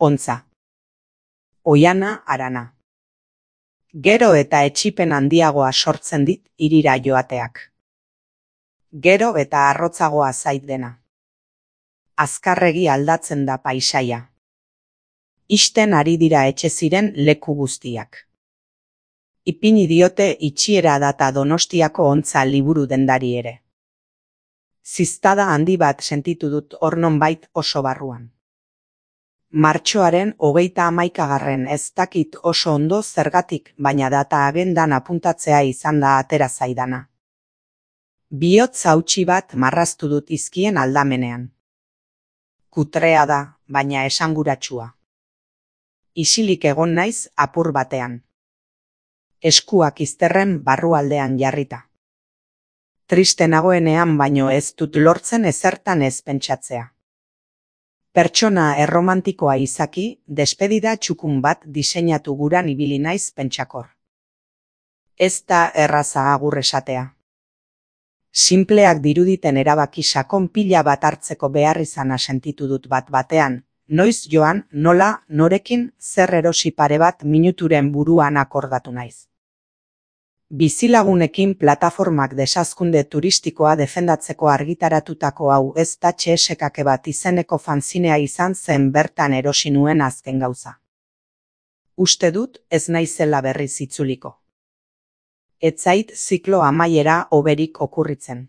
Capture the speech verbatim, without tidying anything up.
Ontza. Oiana harana. Gero eta etsipen handiagoa sortzen dit hirira joateak. Gero eta arrotzagoa zait dena. Azkarregi aldatzen da paisaia. Ixten ari dira etxe ziren leku guztiak. Ipini diote itxiera data Donostiako Ontza liburu dendari ere. Ziztada handi bat sentitu dut hor nonbait oso barruan. Martxoaren hogeita hamaikagarren ez dakit oso ondo zergatik, baina data agendan apuntatzea izan da atera zaidana. Bihotz hautsi bat marraztu dut izkien aldamenean. Kutrea da, baina esanguratsua. Isilik egon naiz apur batean. Eskuak izterren barrualdean jarrita. Triste nagoenean baino ez dut lortzen ezertan ez pentsatzea. Pertsona erromantikoa izaki, despedida txukun bat diseinatu guran ibili naiz pentsakor. Ez da erraza agur esatea. Sinpleak diruditen erabaki sakon pila bat hartzeko behar izana sentitu dut bat batean, noiz joan, nola, norekin, zer erosi pare bat minuturen buruan akordatu naiz. Bizilagunekin plataformak desazkunde turistikoa defendatzeko argitaratutako hau ez da txesekake bat izeneko fanzinea izan zen bertan erosi nuen azken gauza. Uste dut ez naizela berriz itzuliko. Ez zait ziklo amaiera hoberik okurritzen.